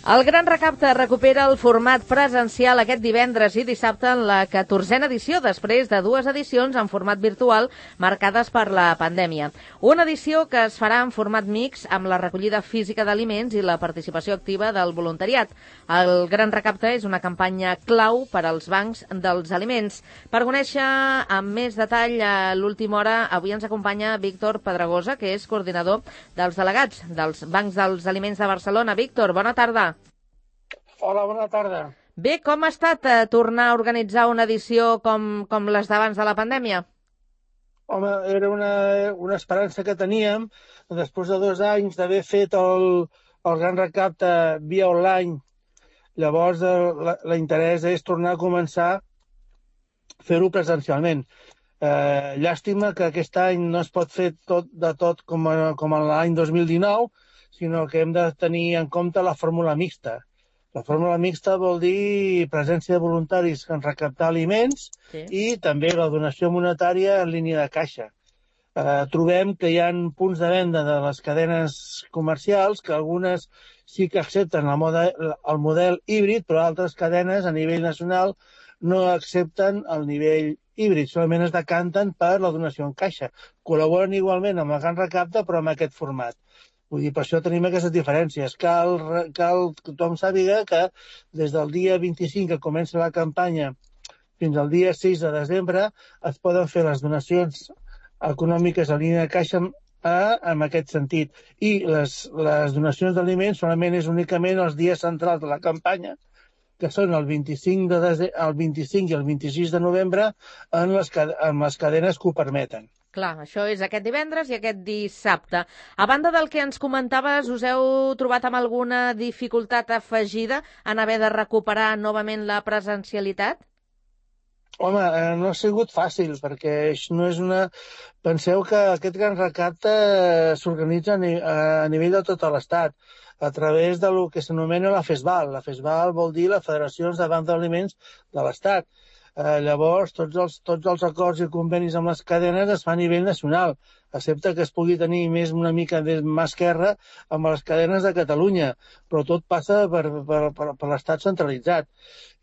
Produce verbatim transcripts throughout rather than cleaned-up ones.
El Gran Recapte recupera el format presencial aquest divendres i dissabte en la catorzena edició, després de dues edicions en format virtual marcades per la pandèmia. Una edició que es farà en format mix amb la recollida física d'aliments i la participació activa del voluntariat. El Gran Recapte és una campanya clau per als bancs dels aliments. Per conèixer amb més detall a l'última hora, avui ens acompanya Víctor Pedregosa, que és coordinador dels delegats dels bancs dels aliments de Barcelona. Víctor, bona tarda. Hola, bona tarda. Bé, com ha estat eh, tornar a organitzar una edició com, com les d'abans de la pandèmia? Home, era una, una esperança que teníem després de dos anys d'haver fet el, el Gran Recapte via online. Llavors, l'interès és tornar a començar a fer-ho presencialment. Eh, llàstima que aquest any no es pot fer tot de tot com, a, com en l'any dos mil dinou, sinó que hem de tenir en compte la fórmula mixta. La fórmula mixta vol dir presència de voluntaris en recaptar aliments sí. I també la donació monetària en línia de caixa. Eh, trobem que hi ha punts de venda de les cadenes comercials que algunes sí que accepten el model, el model híbrid, però altres cadenes a nivell nacional no accepten el nivell híbrid, solament es decanten per la donació en caixa. Col·laboren igualment amb el Gran Recapte, però amb aquest format. Vull dir, per això tenim aquestes diferències. Cal, cal que tothom sàpiga que des del dia vint-i-cinc que comença la campanya fins al dia sis de desembre es poden fer les donacions econòmiques a línia de caixa eh, en aquest sentit. I les, les donacions d'aliments solament és únicament els dies centrals de la campanya, que són el vint-i-cinc, de dese... el vint-i-cinc i el vint-i-sis de novembre en les, en les cadenes que ho permeten. Clar, això és aquest divendres i aquest dissabte. A banda del que ens comentaves, us heu trobat amb alguna dificultat afegida en haver de recuperar novament la presencialitat? Home, eh, no ha sigut fàcil, perquè no és una... Penseu que aquest Gran Recapte s'organitza a, ni... a nivell de tot l'Estat, a través del que s'anomena la FESVAL. La FESVAL vol dir la Federació de Bancs d'Aliments de l'Estat. Eh, llavors, tots els, tots els acords i convenis amb les cadenes es fan a nivell nacional, excepte que es pugui tenir més una mica de mà esquerra amb les cadenes de Catalunya, però tot passa per, per, per, per l'estat centralitzat.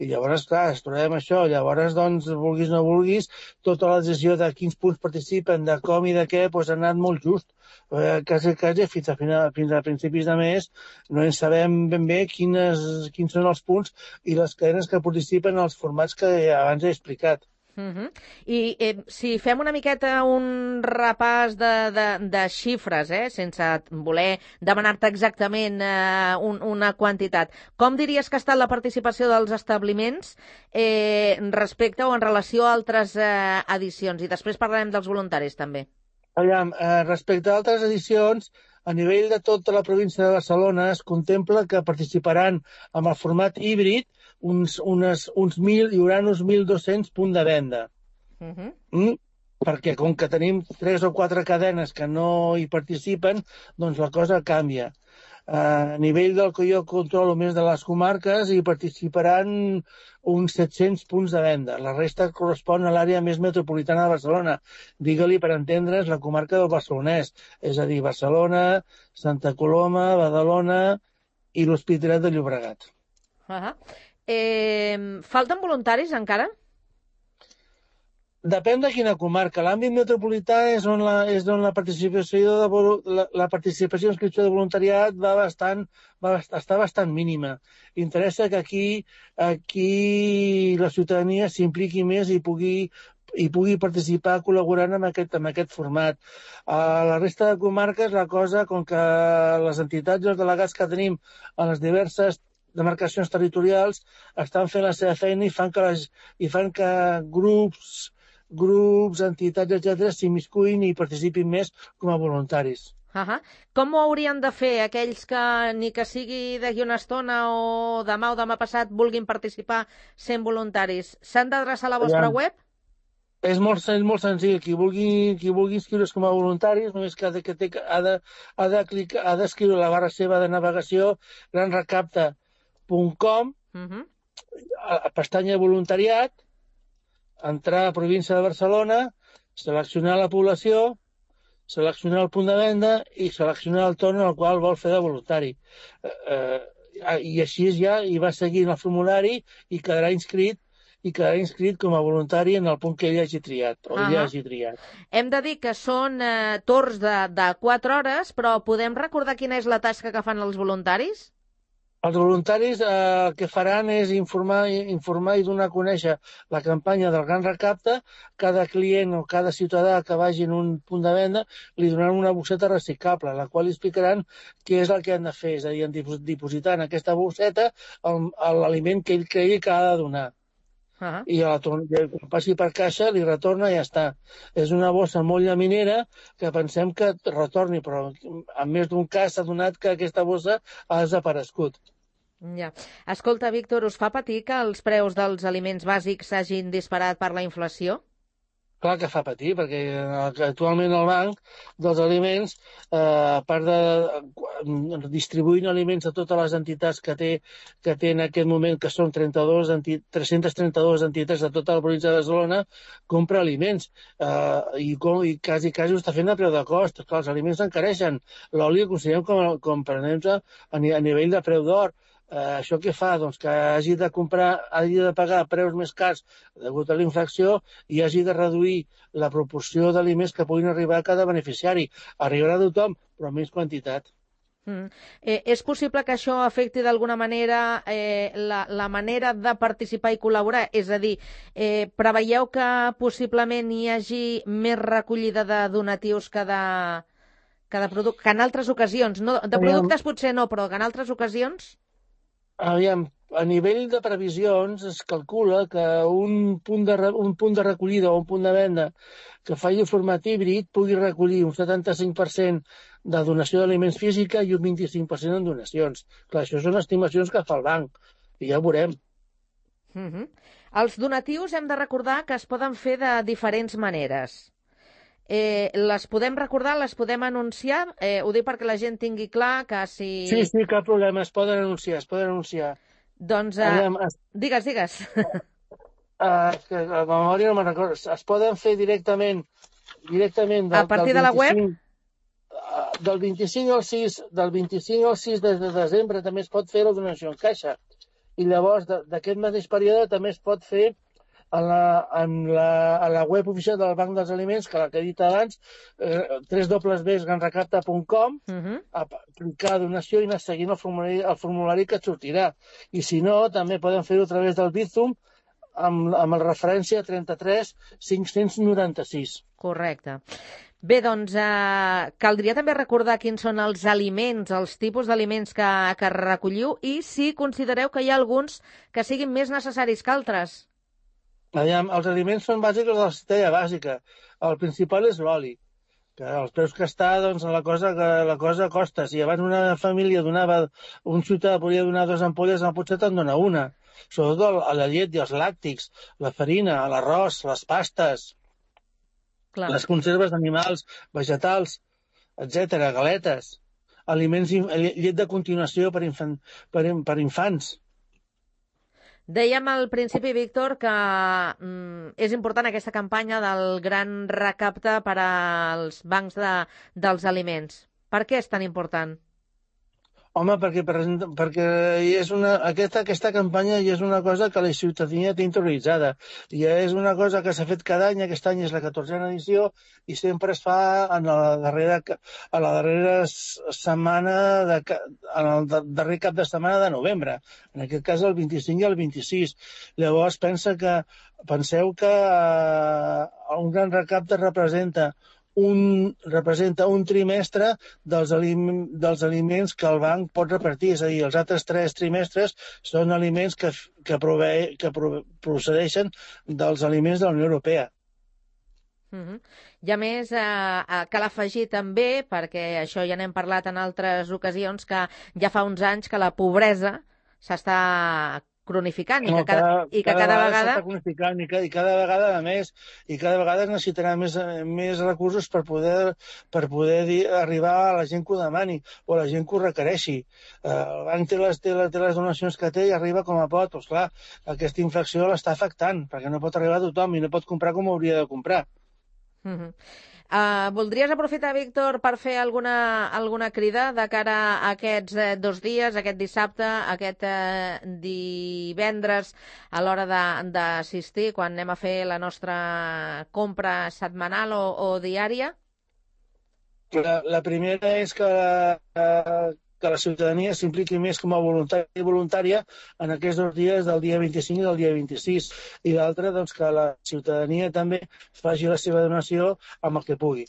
I llavors, clar, es trobem això. Llavors, doncs, vulguis o no vulguis, tota la decisió de quins punts participen, de com i de què, doncs, ha anat molt just. Eh, quasi, quasi fins a, final, fins a principis de mes no en sabem ben bé quines, quins són els punts i les cadenes que participen en els formats que abans he explicat. Uh -huh. I eh, si fem una miqueta un repàs de, de, de xifres, eh, sense voler demanar-te exactament eh, un, una quantitat, com diries que ha estat la participació dels establiments eh, respecte o en relació a altres eh, edicions? I després parlarem dels voluntaris també. Aviam, eh, respecte a altres edicions, a nivell de tota la província de Barcelona es contempla que participaran amb el format híbrid uns, unes, uns mil, hi haurà uns mil dos-cents punts de venda. Uh -huh. mm? Perquè com que tenim tres o quatre cadenes que no hi participen, doncs la cosa canvia. Uh, a nivell del que jo controlo més de les comarques hi participaran uns set-cents punts de venda. La resta correspon a l'àrea més metropolitana de Barcelona. Digue-li, per entendre's, la comarca del Barcelonès, és a dir, Barcelona, Santa Coloma, Badalona i l'Hospitalet de Llobregat. Uh -huh. eh, falten voluntaris encara? Depèn de quina comarca. L'àmbit metropolità és on la, és on la participació de la, la participació i inscripció de voluntariat va bastant, va està bastant mínima. Interessa que aquí, aquí la ciutadania s'impliqui més i pugui, i pugui participar col·laborant amb aquest, amb aquest format. A la resta de comarques la cosa, com que les entitats i els delegats que tenim a les diverses demarcacions territorials estan fent la seva feina i fan que, les, i fan que grups grups, entitats, etcètera, s'immiscuïn i participin més com a voluntaris. Uh -huh. Com ho haurien de fer aquells que, ni que sigui d'aquí una estona o demà o demà passat, vulguin participar sent voluntaris? S'han d'adreçar a la vostra Ja. web? És molt, és molt senzill. Qui vulgui, qui vulgui inscriure's com a voluntaris, només que ha de, que té, ha de, ha de clicar, ha d'escriure la barra seva de navegació gran recapte punt com, uh -huh. a, a pestanya voluntariat, entrar a província de Barcelona, seleccionar la població, seleccionar el punt de venda i seleccionar el torn al qual vol fer de voluntari. Eh, i així ja hi va seguint el formulari i quedarà inscrit i quedarà inscrit com a voluntari en el punt que ell hagi triat, o ell Uh-huh. hagi triat. Hem de dir que són eh, torns de, de quatre hores, però podem recordar quina és la tasca que fan els voluntaris? Els voluntaris eh, el que faran és informar, informar i donar a conèixer la campanya del Gran Recapte. Cada client o cada ciutadà que vagi en un punt de venda li donaran una bosseta reciclable, la qual li explicaran què és el que han de fer, és a dir, dipositar en aquesta bosseta l'aliment que ell cregui que ha de donar. Uh-huh. I a la, quan passi per caixa li retorna i ja està. És una bossa molt llaminera que pensem que retorni, però en més d'un cas s'ha donat que aquesta bossa ha desaparegut. Ja. Escolta, Víctor, us fa patir que els preus dels aliments bàsics s'hagin disparat per la inflació? Clar que fa patir, perquè actualment el banc dels aliments, eh, a part de distribuint aliments a totes les entitats que té, que té en aquest moment, que són trenta-dos, tres-centes trenta-dos entitats de tota la província de Barcelona, compra aliments eh, i, com, i quasi, quasi ho està fent a preu de cost. Clar, els aliments s'encareixen. L'oli ho considerem com, com per exemple, a, a nivell de preu d'or. Uh, això què fa? Doncs que hagi de comprar, hagi de pagar preus més cars degut a la inflació i hagi de reduir la proporció d'aliments que puguin arribar a cada beneficiari. Arribarà a tothom, però en menys quantitat. Mm. Eh, és possible que això afecti d'alguna manera eh, la, la manera de participar i col·laborar? És a dir, eh, preveieu que possiblement hi hagi més recollida de donatius que de, que de productes, que en altres ocasions? No, de productes potser no, però que en altres ocasions... Aviam, a nivell de previsions es calcula que un punt de, un punt de recollida o un punt de venda que faci format híbrid pugui recollir un setanta-cinc per cent de donació d'aliments física i un vint-i-cinc per cent en donacions. Clar, això són estimacions que fa el banc i ja ho veurem. Uh-huh. Els donatius hem de recordar que es poden fer de diferents maneres. Eh, les podem recordar, les podem anunciar? Eh, ho dic perquè la gent tingui clar que si... Sí, sí, cap problema, es poden anunciar, es poden anunciar. Doncs, eh, Aviam, es... digues, digues. Uh, que la memòria no me'n recordo. Es poden fer directament, directament del, a partir del de la web? Uh, del vint-i-cinc al sis, del vint-i-cinc al sis de, de desembre també es pot fer la donació en caixa. I llavors, d'aquest mateix període també es pot fer en la, en la, a la web oficial del Banc dels Aliments, que la que he dit abans, eh, w w w punt gran recapta punt com, uh-huh. a clicar donació i anar seguint el formulari, el formulari que et sortirà. I si no, també poden fer-ho a través del Bizum amb, amb la referència trenta-tres cinc-cents noranta-sis. Correcte. Bé, doncs, eh, caldria també recordar quins són els aliments, els tipus d'aliments que, que recolliu i si considereu que hi ha alguns que siguin més necessaris que altres. Aviam, els aliments són bàsics de la cistella bàsica. El principal és l'oli, que els preus que està, doncs, la cosa, la cosa costa. Si abans una família donava, un ciutadà podia donar dues ampolles, potser te'n dona una. Sobretot a la llet i els làctics, la farina, l'arròs, les pastes, Clar. les conserves d'animals, vegetals, etcètera, galetes, aliments, llet de continuació per, infan, per, per infants. Dèiem al principi, Víctor, que mm, és important aquesta campanya del gran recapte per als bancs de, dels aliments. Per què és tan important? Home, perquè, perquè és una, aquesta, aquesta campanya ja és una cosa que la ciutadania té interioritzada. Ja és una cosa que s'ha fet cada any, aquest any és la catorzena edició, i sempre es fa en la darrera, a la darrera setmana, de, en el darrer cap de setmana de novembre. En aquest cas el vint-i-cinc i el vint-i-sis. Llavors pensa que, penseu que eh, un gran recapte representa Un, representa un trimestre dels, alim, dels aliments que el banc pot repartir, és a dir, els altres tres trimestres són aliments que, que, prove, que procedeixen dels aliments de la Unió Europea. Uh-huh. I a més, eh, cal afegir també, perquè això ja n'hem parlat en altres ocasions, que ja fa uns anys que la pobresa s'està cronificant i que cada, no, cada, i que cada, cada vegada s'està cronificant i cada, i cada vegada a més i cada vegada es necessitarà més, més recursos per poder, per poder dir, arribar a la gent que ho demani o a la gent que ho requereixi. Uh, el banc té les, té, les, té les donacions que té i arriba com a pot. Doncs, clar, aquesta inflació l'està afectant perquè no pot arribar a tothom i no pot comprar com hauria de comprar. Uh-huh. Uh, voldries aprofitar, Víctor, per fer alguna, alguna crida de cara a aquests eh, dos dies, aquest dissabte, aquest eh, divendres, a l'hora d'assistir, quan anem a fer la nostra compra setmanal o, o diària? La, la primera és que, eh, que la ciutadania s'impliqui més com a voluntari i voluntària en aquests dos dies, del dia vint-i-cinc i del dia vint-i-sis. I l'altra, doncs, que la ciutadania també faci la seva donació amb el que pugui.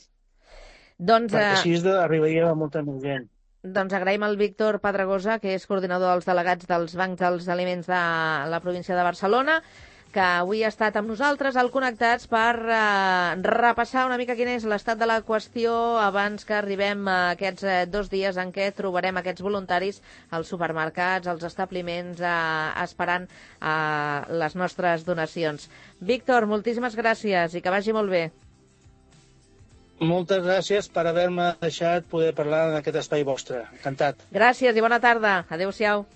Doncs, perquè eh... així arribaria a molta més gent. Doncs agraïm al Víctor Pedregosa, que és coordinador dels delegats dels Bancs dels Aliments de la província de Barcelona, que avui ha estat amb nosaltres al Connectats per eh, repassar una mica quin és l'estat de la qüestió abans que arribem a aquests eh, dos dies en què trobarem aquests voluntaris als supermercats, als establiments, eh, esperant eh, les nostres donacions. Víctor, moltíssimes gràcies i que vagi molt bé. Moltes gràcies per haver-me deixat poder parlar en aquest espai vostre. Encantat. Gràcies i bona tarda. Adéu-siau.